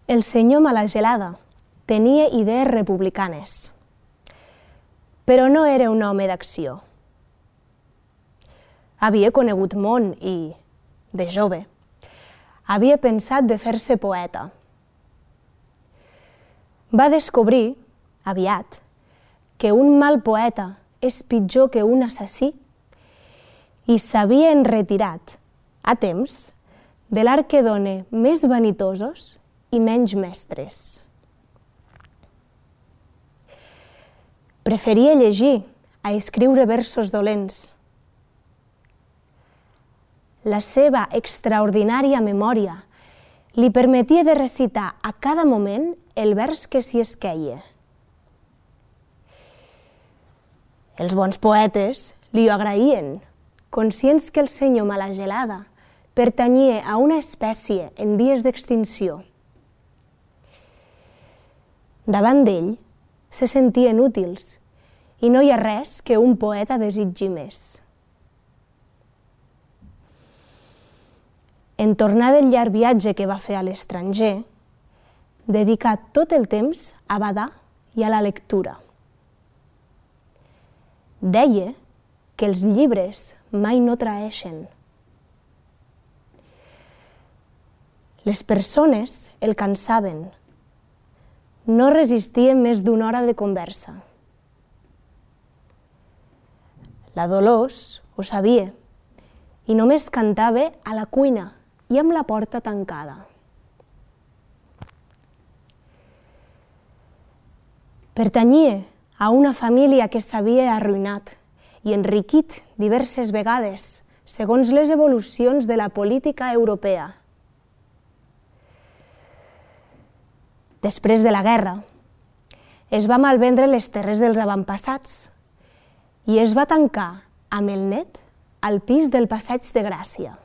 El senyor Malagelada tenia idees republicanes, però no era un home d'acció. Havia conegut món i, de jove, havia pensat de fer-se poeta. Va descobrir, aviat, que un mal poeta és pitjor que un assassí i s'havia enretirat, a temps, de l'art que dona més vanitosos i menys mestres. Preferia llegir a escriure versos dolents. La seva extraordinària memòria li permetia de recitar a cada moment el vers que s'hi esqueia. Els bons poetes li ho agraïen, conscients que el senyor Malagelada pertanyia a una espècie en vies d'extinció. Davant d'ell se sentien útils i no hi ha res que un poeta desitgi més. En tornar del llarg viatge que va fer a l'estranger, dedicà tot el temps a badar i a la lectura. Deia que els llibres mai no traeixen. Les persones el cansaven. No resistien més d'una hora de conversa. La Dolors ho sabia i només cantava a la cuina i amb la porta tancada. Pertanyia a una família que s'havia arruïnat i enriquit diverses vegades segons les evolucions de la política europea. Després de la guerra, es va malvendre les terres dels avantpassats i es va tancar amb el net al pis del Passeig de Gràcia.